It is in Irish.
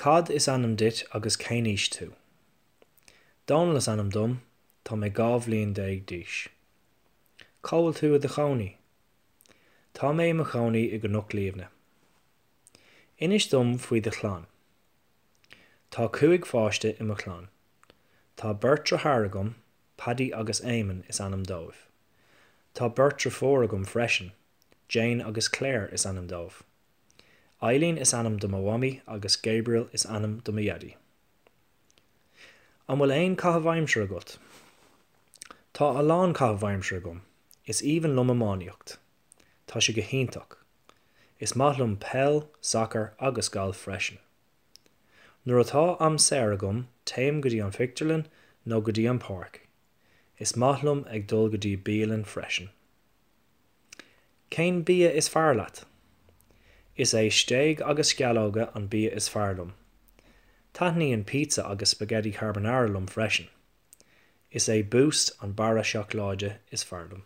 Cad is ainm duit agus cén aois tú? Dónal is ainm dom, tá mé 12 bhliain d'aois. Cá bhfuil tú i do chónaí? Tá mé i mo chónaí i gCnoc Liamhna. Inis dom faoi do chlann. Tá 5 pháiste i mo chlann. Tá beirt deartháir agam, Paddy agus Éamonn is ainm dóibh. Tá beirt deirfiúr agam freisin, Jane agus Claire is ainm dóibh. Eileen is ainm do mo mhamaí agus Gabriel is ainm do mo dhaidí. An bhfuil aon caitheamh aimsire agat? Tá a lán caitheamh aimsire agam. Is aoibhinn liom iománaíocht. Tá sé go hiontach. Is maith liom peil, sacar agus galf freisin. Nuair atá am saor agam téim go dtí an phictiúrlann nó go dtí an páirc. Is maith liom ag dul go dtí bialann freisin. Cén bia is fearr leat? Is é stéig agus sceallóga an bia is fearr liom. Taitníonn pizza agus spaghetti carbonara liom freisin. Is é Boost an barra seacláide is fearr liom.